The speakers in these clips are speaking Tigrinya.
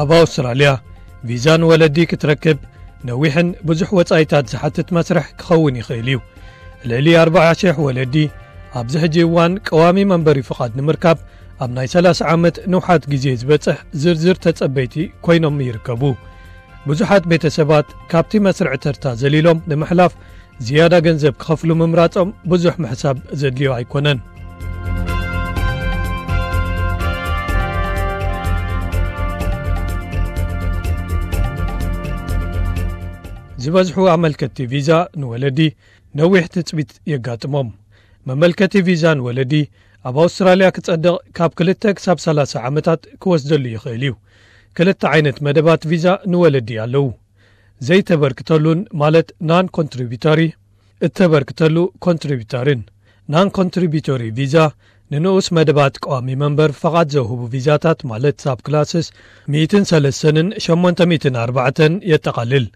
ኣብ ኣውስትራልያ፣ ቪዛ ንወለዲ ክትረክብ ነዊሕን ብዙሕ ወጻኢታት ዝሓትት መስርሕ ክኸውን ይኽእል እዩ። ልዕሊ ኣርባዓ ሽሕ ወለዲ ኣብዚ ሕጂ እዋን ቀዋሚ መንበሪ ፍቓድ ንምርካብ ኣብ ናይ ሰላሳ ዓመት ንውሓት ግዜ ዝበጽሕ ዝርዝር ተጸበይቲ ኮይኖም ይርከቡ። ብዙሓት ቤተሰባት ካብቲ መስርዕ ተርታ ዘሊሎም ንምሕላፍ ዝያዳ ገንዘብ ክኸፍሉ ምምራጾም ብዙሕ ምሕሳብ ዘድልዮ ኣይኮነን። ዝበዝሑ ኣመልከትቲ ቪዛ ንወለዲ ነዊሕ ትጽቢት የጋጥሞም። መመልከቲ ቪዛ ንወለዲ ኣብ ኣውስትራልያ ክጸድቕ ካብ ክልተ ክሳብ ሰላሳ ዓመታት ክወስደሉ ይኽእል እዩ። ክልተ ዓይነት መደባት ቪዛ ንወለዲ ኣለዉ። ዘይተበርክተሉን፣ ማለት non contributory፣ እተበርክተሉ ኮንትሪቢተርን። Non contributory ቪዛ ንንኡስ መደባት ቀዋሚ መንበር ፈቓድ ዘውህቡ ቪዛታት፣ ማለት ሳብ ክላስስ ሚእትን ሰለስተን ሸሞንተ ሚእትን ኣርባዕተን የጠቓልል።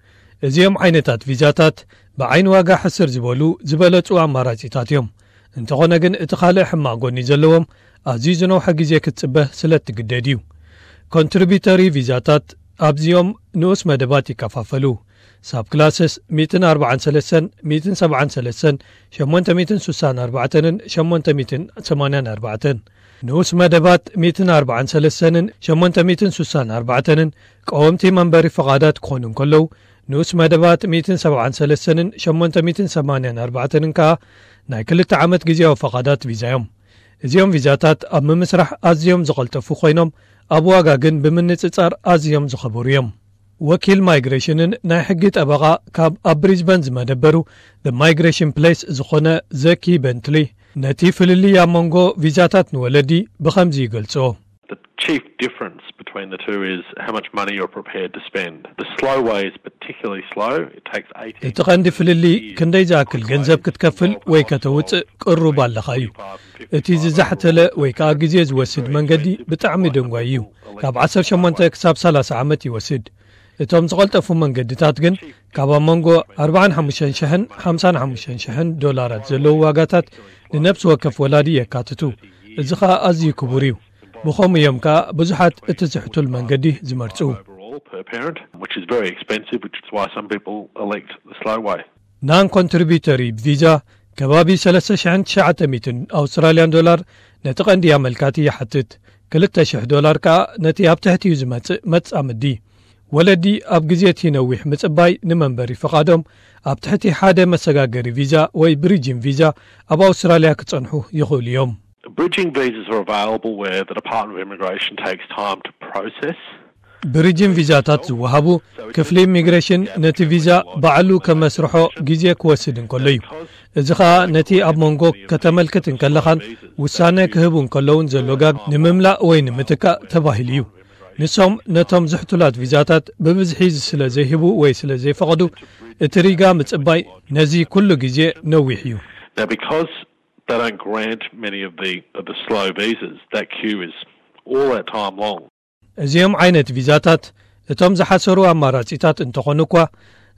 እዚኦም ዓይነታት ቪዛታት ብዓይኒ ዋጋ ሕስር ዝበሉ ዝበለጹ ኣማራጺታት እዮም። እንተኾነ ግን እቲ ካልእ ሕማቕ ጎኒ ዘለዎም ኣዝዩ ዝነውሐ ግዜ ክትጽበ ስለ እትግደድ እዩ። ኮንትሪቢተሪ ቪዛታት ኣብዚኦም ንኡስ መደባት ይከፋፈሉ። ሳብ ክላስስ ሚእትን ኣርባዓን ሰለስተን፣ ሚእትን ሰብዓን ሰለስተን፣ ሸሞንተ ሚእትን ስሳን ኣርባዕተንን ሸሞንተ ሚእትን ሰማንያን ኣርባዕተን። ንኡስ መደባት ሚእትን ኣርባዓን ሰለስተንን ሸሞንተ ሚእትን ስሳን ኣርባዕተንን ቀወምቲ መንበሪ ፈቓዳት ክኾኑ እንከለዉ፣ ንኡስ መደባት ሚእትን ሰብዓን ሰለስተንን ሸሞንተ ሚእትን ሰማንያን ኣርባዕተንን ከኣ ናይ ክልተ ዓመት ግዜያዊ ፈቓዳት ቪዛ እዮም። እዚኦም ቪዛታት ኣብ ምምስራሕ ኣዝዮም ዝቐልጠፉ ኮይኖም፣ ኣብ ዋጋ ግን ብምንጽጻር ኣዝዮም ዝኸበሩ እዮም። ወኪል ማይግሬሽንን ናይ ሕጊ ጠበቓ ካብ ኣብ ብሪዝበን ዝመደበሩ The Migration Place ዝኾነ ዘኪ በንትሊ ነቲ ፍልልይ ኣብ መንጎ ቪዛታት ንወለዲ ብኸምዚ ይገልጾ። The chief difference between the two is how much money you're prepared to spend. The slow way is particularly slow. It takes eighteen እቲ ቀንዲ ፍልልይ ክንደይ ዝኣክል ገንዘብ ክትከፍል ወይ ከተውጽእ ቅሩብ ኣለኻ እዩ። እቲ ዝዛሕተለ ወይ ከኣ ግዜ ዝወስድ መንገዲ ብጣዕሚ ደንጓይ እዩ። ካብ ዓሰርተ ሸሞንተ ክሳብ ሰላሳ ዓመት ይወስድ። እቶም ዝቐልጠፉ መንገድታት ግን ካብ ኣብ መንጎ ኣርባዓን ሓሙሽተን ሽሕን ሓምሳን ሓሙሽተን ሽሕን ዶላራት ዘለዉ ዋጋታት ንነብሲ ወከፍ ወላዲ የካትቱ። እዚ ኸኣ ኣዝዩ ክቡር እዩ። ብኸምኡ እዮም ከኣ ብዙሓት እቲ ዝሕቱል መንገዲ ዝመርጹ። Overall, per parent, which is very expensive, which is why some people elect the slow way. Non contributory ቪዛ ከባቢ ሰለስተ ሽሕን ትሽዓተ ሚእትን ኣውስትራልያን ዶላር ነቲ ቀንዲ ኣመልካቲ ይሓትት። ክልተ ሽሕ ዶላር ከኣ ነቲ ኣብ ትሕቲኡ ዝመጽእ መጻምዲ። ወለዲ ኣብ ግዜ እቲ ነዊሕ ምጽባይ ንመንበሪ ፍቓዶም ኣብ ትሕቲ ሓደ መሰጋገሪ ቪዛ ወይ ብሪጅን ቪዛ ኣብ ኣውስትራልያ ክጸንሑ ይኽእሉ እዮም። Bridging visas are available where the Department of Immigration takes time to process. ብሪጅን ቪዛታት ዝወሃቡ ክፍሊ ኢሚግሬሽን ነቲ ቪዛ ባዕሉ ከመስርሖ ግዜ ክወስድ እንከሎ እዩ። እዚ ኸኣ ነቲ ኣብ መንጎ ከተመልክት እንከለኻን ውሳነ ክህቡ እንከለውን ዘሎ ጋግ ንምምላእ ወይ ንምትካእ ተባሂሉ እዩ። ንሶም ነቶም ዝሕቱላት ቪዛታት ብብዝሒ ስለ ዘይህቡ ወይ ስለ ዘይፈቕዱ፣ እቲ ሪጋ ምጽባይ ነዚ ኩሉ ግዜ ነዊሕ እዩ። Now, because they don't grant many of the, of the slow visas, that queue is all that time long. እዚኦም ዓይነት ቪዛታት እቶም ዝሓሰሩ ኣማራጺታት እንተኾኑ እኳ፣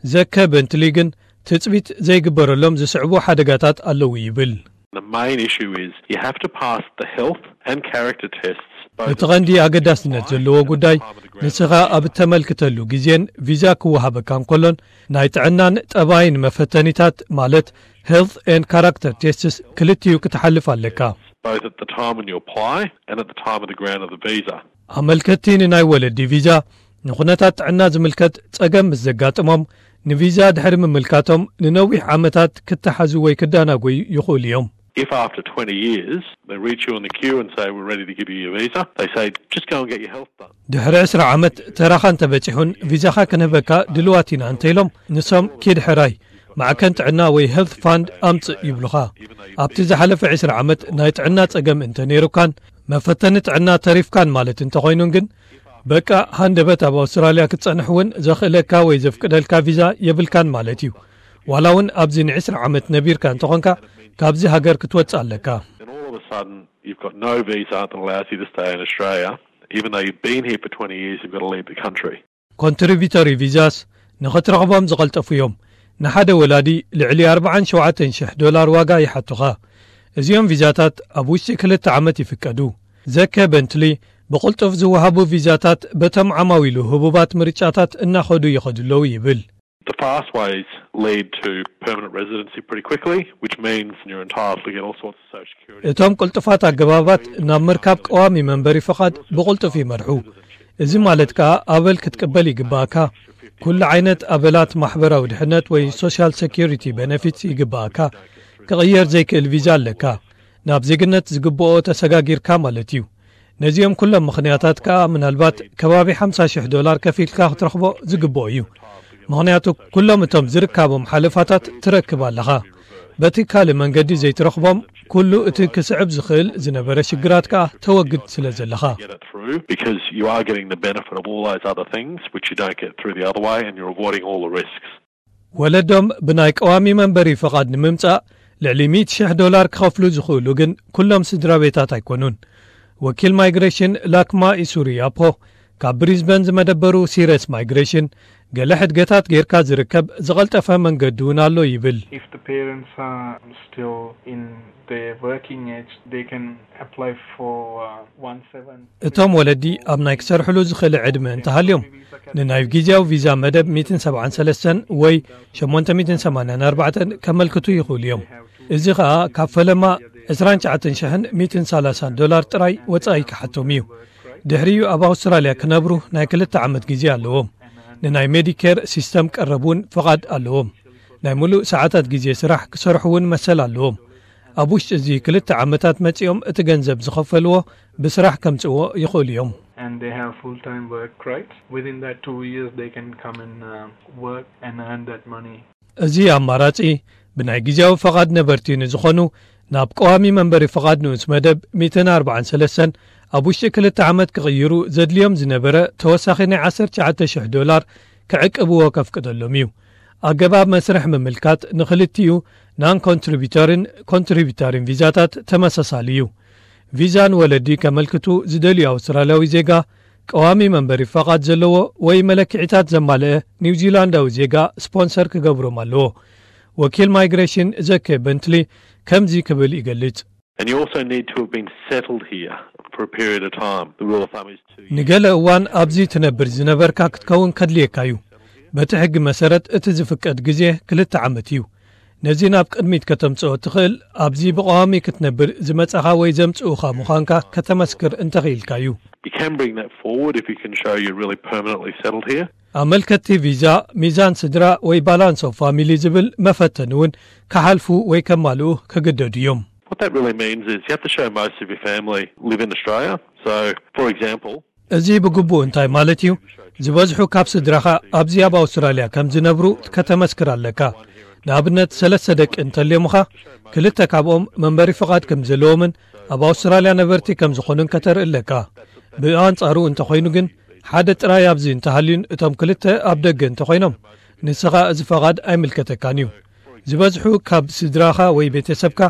ዘከ በንትሊ ግን ትጽቢት ዘይግበረሎም ዝስዕቡ ሓደጋታት ኣለዉ ይብል። The main issue is you have to pass the health and character tests. Both እቲ ቀንዲ ኣገዳስነት ዘለዎ ጉዳይ፣ ንስኻ ኣብ እተመልክተሉ ግዜን ቪዛ ክወሃበካ እንከሎን ናይ ጥዕናን ጠባይን መፈተኒታት፣ ማለት health and character tests፣ ክልቲኡ ክትሓልፍ ኣለካ። Both at the time when you apply and at the time of the grant of the visa. ኣመልከትቲ ንናይ ወለዲ ቪዛ ንኹነታት ጥዕና ዝምልከት ጸገም ምስ ዘጋጥሞም፣ ንቪዛ ድሕሪ ምምልካቶም ንነዊሕ ዓመታት ክተሓዙ ወይ ክዳናጎዩ ይኽእሉ እዮም። If after twenty years they reach you in the queue and say, "We're ready to give you your visa," they say, "Just go and get your health done." ድሕሪ ዕስራ ዓመት ተራኻ እንተበጺሑን ቪዛኻ ክንህበካ ድልዋት ኢና እንተኢሎም፣ ንሶም ኪድ ሕራይ ማዕከን ጥዕና ወይ ሄልት ፋንድ ኣምጽእ ይብሉኻ። ኣብቲ ዝሓለፈ ዕስራ ዓመት ናይ ጥዕና ጸገም እንተ ነይሩካን መፈተኒ ጥዕና ተሪፍካን ማለት እንተኾይኑን ግን፣ በቃ ሃንደበት ኣብ ኣውስትራልያ ክትጸንሕ እውን ዘኽእለካ ወይ ዘፍቅደልካ ቪዛ የብልካን ማለት እዩ። ዋላ እውን ኣብዚ ንዕስራ ዓመት ነቢርካ እንተኾንካ፣ ካብዚ ሃገር ክትወጽእ ኣለካ። Then all of a sudden, you've got no visa that allows you to stay in Australia. Even though you've been here for twenty years, you've got to leave the country. ኮንትሪቢተሪ ቪዛስ ንኽትረኽቦም ዝቐልጠፉ እዮም። ንሓደ ወላዲ ልዕሊ ኣርባዓን ሸውዓተን ሽሕ ዶላር ዋጋ ይሓቱኻ። እዚኦም ቪዛታት ኣብ ውሽጢ ክልተ ዓመት ይፍቀዱ። ዘከ በንትሊ ብቕልጡፍ ዝወሃቡ ቪዛታት በቶም ዓማዊሉ ህቡባት ምርጫታት እናኸዱ ይኸዱ ኣለዉ ይብል። The fast ways lead to permanent residency pretty quickly, which means you're entitled to get all sorts of social security. እቶም ቅልጡፋት ኣገባባት ናብ ምርካብ ቀዋሚ መንበሪ ፍቓድ ብቕልጡፍ ይመርሑ። እዚ ማለት ከኣ ኣበል ክትቅበል ይግባእካ። ኩሉ ዓይነት ኣበላት ማሕበራዊ ድሕነት ወይ ሶሻል ሴኩሪቲ ቤነፊትስ ይግባእካ። ክቕየር ዘይክእል ቪዛ ኣለካ። ናብ ዜግነት ዝግብኦ ተሰጋጊርካ ማለት እዩ። ነዚኦም ኩሎም ምኽንያታት ከኣ ምናልባት ከባቢ ሓምሳ ሽሕ ዶላር ከፊልካ ክትረኽቦ ዝግብኦ እዩ። ምኽንያቱ ኩሎም እቶም ዝርካቦም ሓለፋታት ትረክብ ኣለኻ። በቲ ካልእ መንገዲ ዘይትረኽቦም ኩሉ እቲ ክስዕብ ዝኽእል ዝነበረ ሽግራት ከኣ ተወግድ ስለ ዘለኻ። Get it through because you are getting the benefit of all those other things which you don't get through the other way and you're avoiding all the risks. ወለዶም ብናይ ቀዋሚ መንበሪ ፍቓድ ንምምጻእ ልዕሊ ሚእቲ ሽሕ ዶላር ክኸፍሉ ዝኽእሉ ግን ኩሎም ስድራ ቤታት ኣይኮኑን። ወኪል ማይግሬሽን ላክማ ኢሱሪ ያፖ ካብ ብሪዝበን ዝመደበሩ ሲረስ ማይግሬሽን ገለ ሕድገታት ጌርካ ዝርከብ ዝቐልጠፈ መንገዲ እውን ኣሎ ይብል። If the parents are still in the working age, they can apply for uh, one seven. እቶም ወለዲ ኣብ ናይ ክሰርሕሉ ዝኽእል ዕድመ እንተሃልዮም ንናይ ግዜያዊ ቪዛ መደብ ሚእትን ሰብዓን ሰለስተን ወይ ሸሞንተ ሚእትን ሰማንያን ኣርባዕተን ከመልክቱ ይኽእሉ እዮም። እዚ ኸኣ ካብ ፈለማ ዕስራን ትሽዓተን ሽሕን ሚእትን ሰላሳን ዶላር ጥራይ ወጻኢ ክሓቶም እዩ። ድሕሪኡ ኣብ ኣውስትራልያ ክነብሩ ናይ ክልተ ዓመት ግዜ ኣለዎም። ንናይ ሜዲኬር ሲስተም ቀረብ እውን ፍቓድ ኣለዎም። ናይ ሙሉእ ሰዓታት ግዜ ስራሕ ክሰርሑ እውን መሰል ኣለዎም። ኣብ ውሽጢ እዚ ክልተ ዓመታት መጺኦም እቲ ገንዘብ ዝኸፈልዎ ብስራሕ ከምጽእዎ ይኽእሉ እዮም። And they have full-time work rights. Within that two years, they can come and uh, work and earn that money. እዚ ኣማራጺ ብናይ ግዜያዊ ፈቓድ ነበርቲ ንዝኾኑ ናብ ቀዋሚ መንበሪ ፈቓድ ንኡስ መደብ ሚእትን ኣርባዓን ሰለስተን ኣብ ውሽጢ ክልተ ዓመት ክቕይሩ ዘድልዮም ዝነበረ ተወሳኺ ናይ ዓሰርተ ትሽዓተ ሽሕ ዶላር ክዕቅብዎ ከፍቅደሎም እዩ። ኣገባብ መስርሕ ምምልካት ንኽልቲኡ ናን ኮንትሪቢተርን ኮንትሪቢተርን ቪዛታት ተመሳሳሊ እዩ። ቪዛ ንወለዲ ከመልክቱ ዝደልዩ ኣውስትራልያዊ ዜጋ ቀዋሚ መንበሪ ፈቓድ ዘለዎ ወይ መለክዒታት ዘማልአ ኒውዚላንዳዊ ዜጋ ስፖንሰር ክገብሮም ኣለዎ። ወኪል ማይግሬሽን ዘኬ በንትሊ ከምዚ ክብል ይገልጽ። And you also need to have been settled here for a period of time. The rule of thumb is two years. ንገለ እዋን ኣብዚ ትነብር ዝነበርካ ክትከውን ከድልየካ እዩ። በቲ ሕጊ መሰረት እቲ ዝፍቀድ ግዜ ክልተ ዓመት እዩ። ነዚ ናብ ቅድሚት ከተምጽኦ ትኽእል ኣብዚ ብቐዋሚ ክትነብር ዝመጻኻ ወይ ዘምጽኡኻ ምዃንካ ከተመስክር እንተኽኢልካ እዩ። You can bring that forward if you can show you're really permanently settled here. ኣመልከቲ ቪዛ ሚዛን ስድራ ወይ ባላንስ ኦፍ ፋሚሊ ዝብል መፈተኒ እውን ክሓልፉ ወይ ከማልኡ ክግደዱ እዮም። What that really means is you have to show most of your family live in Australia. So, for example, እዚ ብግቡእ እንታይ ማለት እዩ? ዝበዝሑ ካብ ስድራኻ ኣብዚ ኣብ ኣውስትራልያ ከም ዝነብሩ ከተመስክር ኣለካ። ንኣብነት ሰለስተ ደቂ እንተልዮምኻ ክልተ ካብኦም መንበሪ ፍቓድ ከም ዘለዎምን ኣብ ኣውስትራልያ ነበርቲ ከም ዝኾኑን ከተርኢ ኣለካ። ብኣንጻሩ እንተኾይኑ ግን ሓደ ጥራይ ኣብዚ እንተሃልዩን እቶም ክልተ ኣብ ደገ እንተኾይኖም ንስኻ እዚ ፈቓድ ኣይምልከተካን እዩ። ዝበዝሑ ካብ ስድራኻ ወይ ቤተሰብካ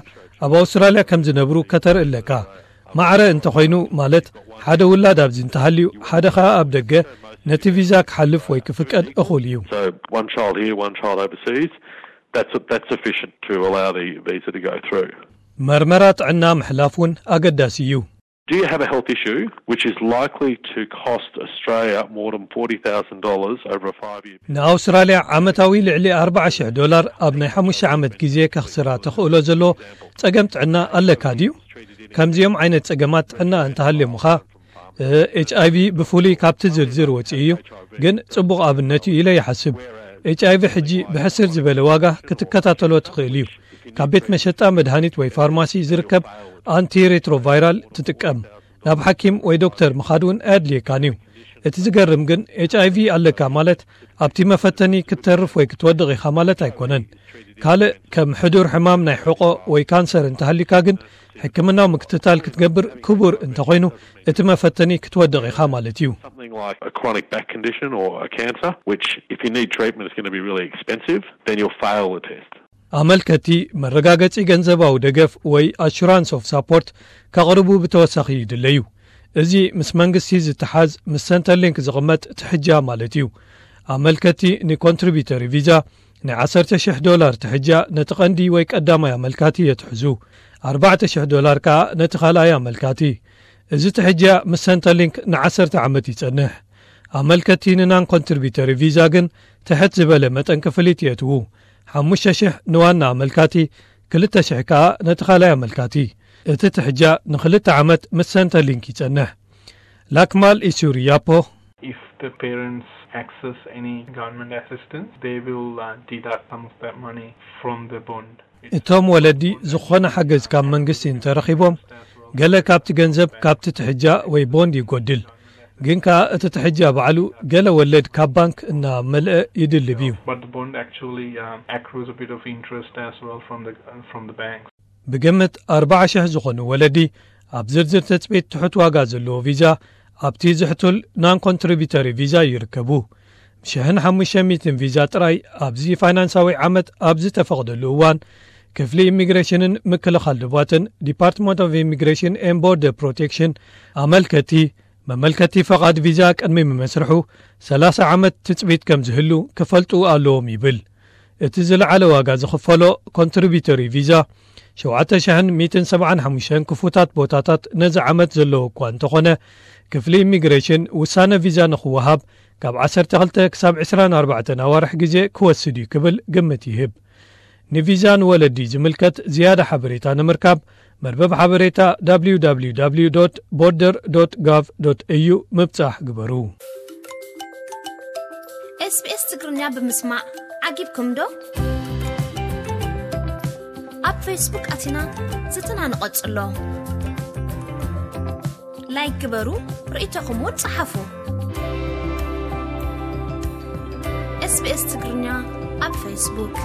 ኣብ ኣውስትራልያ ከም ዝነብሩ ከተርኢ ኣለካ። ማዕረ እንተኾይኑ ማለት ሓደ ውላድ ኣብዚ እንተሃልዩ ሓደ ኸኣ ኣብ ደገ ነቲ ቪዛ ክሓልፍ ወይ ክፍቀድ እኹል እዩ። So one child here, one child overseas, that's, that's sufficient to allow the visa to go through. መርመራ ጥዕና ምሕላፍ እውን ኣገዳሲ እዩ። Do you have a health issue which is likely to cost Australia more than forty thousand dollars over a five year period? ንኣውስትራልያ ዓመታዊ ልዕሊ ኣርባዓ ሽሕ ዶላር ኣብ ናይ ሓሙሽተ ዓመት ግዜ ከኽስራ ተኽእሎ ዘሎ ጸገም ጥዕና ኣለካ ድዩ? ከምዚኦም ዓይነት ጸገማት ጥዕና እንተሃልዮምኻ ኤች ኣይቪ ብፍሉይ ካብቲ ዝርዝር ወጺኡ እዩ፣ ግን ጽቡቕ ኣብነት እዩ ኢለ ይሓስብ። ኤች ኣይቪ ሕጂ ብሕስር ዝበለ ዋጋ ክትከታተሎ ትኽእል እዩ። ካብ ቤት መሸጣ መድሃኒት ወይ ፋርማሲ ዝርከብ ኣንቲ ሬትሮቫይራል ትጥቀም። ናብ ሓኪም ወይ ዶክተር ምኻድ እውን ኣየድልየካን እዩ። እቲ ዝገርም ግን ኤች ኣይቪ ኣለካ ማለት ኣብቲ መፈተኒ ክትተርፍ ወይ ክትወድቕ ኢኻ ማለት ኣይኮነን። ካልእ ከም ሕዱር ሕማም ናይ ሕቖ ወይ ካንሰር እንተሃሊካ ግን ሕክምናዊ ምክትታል ክትገብር ክቡር እንተኾይኑ እቲ መፈተኒ ክትወድቕ ኢኻ ማለት እዩ። Something like a chronic back condition or a cancer, which if you need treatment is going to be really expensive, then you'll fail the test. ኣመልከቲ መረጋገጺ ገንዘባዊ ደገፍ ወይ ኣሹራንስ ኦፍ ሳፖርት ከቕርቡ ብተወሳኺ ይድለዩ። እዚ ምስ መንግስቲ ዝተሓዝ ምስ ሰንተርሊንክ ዝቕመጥ ትሕጃ ማለት እዩ። ኣመልከቲ ንኮንትሪቢተሪ ቪዛ ናይ ዓሰርተ ሽሕ ዶላር ትሕጃ ነቲ ቀንዲ ወይ ቀዳማይ ኣመልካቲ የትሕዙ። ኣርባዕተ ሽሕ ዶላር ከኣ ነቲ ካልኣይ ኣመልካቲ። እዚ ትሕጃ ምስ ሰንተርሊንክ ንዓሰርተ ዓመት ይጸንሕ። ኣመልከቲ ንናን ኮንትሪቢተሪ ቪዛ ግን ትሕት ዝበለ መጠን ክፍሊት የእትዉ። ሓሙሽተ ሽሕ ንዋና ኣመልካቲ፣ ክልተ ሽሕ ከኣ ነቲ ካልኣይ ኣመልካቲ። እቲ ትሕጃ ንኽልተ ዓመት ምስ ሰንተርሊንክ ይጸንሕ። ላክማል ኢሱሪ ያፖ፣ If the parents access any government assistance, they will uh, deduct some of that money from the bond. እቶም ወለዲ ዝኾነ ሓገዝ ካብ መንግስቲ እንተረኺቦም፣ ገለ ካብቲ ገንዘብ ካብቲ ትሕጃ ወይ ቦንድ ይጎድል። ግን ከኣ እቲ ትሕጃ ባዕሉ ገለ ወለድ ካብ ባንክ እናመልአ ይድልብ እዩ። But the bond actually um, accrues a bit of interest as well from the uh, from the banks. ብግምት ኣርባዓ ሽሕ ዝኾኑ ወለዲ ኣብ ዝርዝር ትጽቢት ትሑት ዋጋ ዘለዎ ቪዛ ኣብቲ ዝሕቱል ናን ኮንትሪቢተሪ ቪዛ ይርከቡ። ሽሕን ሓሙሽተ ሚእትን ቪዛ ጥራይ ኣብዚ ፋይናንሳዊ ዓመት ኣብ ዝተፈቕደሉ እዋን፣ ክፍሊ ኢሚግሬሽንን ምክልኻል ዶባትን፣ ዲፓርትመንት ኦፍ ኢሚግሬሽን ኤን ቦርደር ፕሮቴክሽን፣ ኣመልከቲ መመልከቲ ፈቓድ ቪዛ ቅድሚ ምመስርሑ ሰላሳ ዓመት ትጽቢት ከም ዝህሉ ክፈልጡ ኣለዎም ይብል። እቲ ዝለዓለ ዋጋ ዝኽፈሎ ኮንትሪቢተሪ ቪዛ ሸውዓተ ሽሕን ሚእትን ሰብዓን ሓሙሽተን ክፉታት ቦታታት ነዚ ዓመት ዘለዎ እኳ እንተኾነ፣ ክፍሊ ኢሚግሬሽን ውሳነ ቪዛ ንኽወሃብ ካብ ዓሰርተ ክልተ ክሳብ ዕስራን ኣርባዕተን ኣዋርሕ ግዜ ክወስድ እዩ ክብል ግምት ይህብ። ንቪዛ ንወለዲ ዝምልከት ዝያዳ ሓበሬታ ንምርካብ፣ መርበብ ሓበሬታ www border gov au ምብጻሕ ግበሩ። SBS ትግርኛ ብምስማዕ ዓጊብኩም ዶ? ኣብ ፌስቡክ ኣቲና ዝትና ንቐጽሎ። ላይክ ግበሩ፣ ርእይቶኹም እውን ጸሓፉ። SBS ትግርኛ ኣብ ፌስቡክ።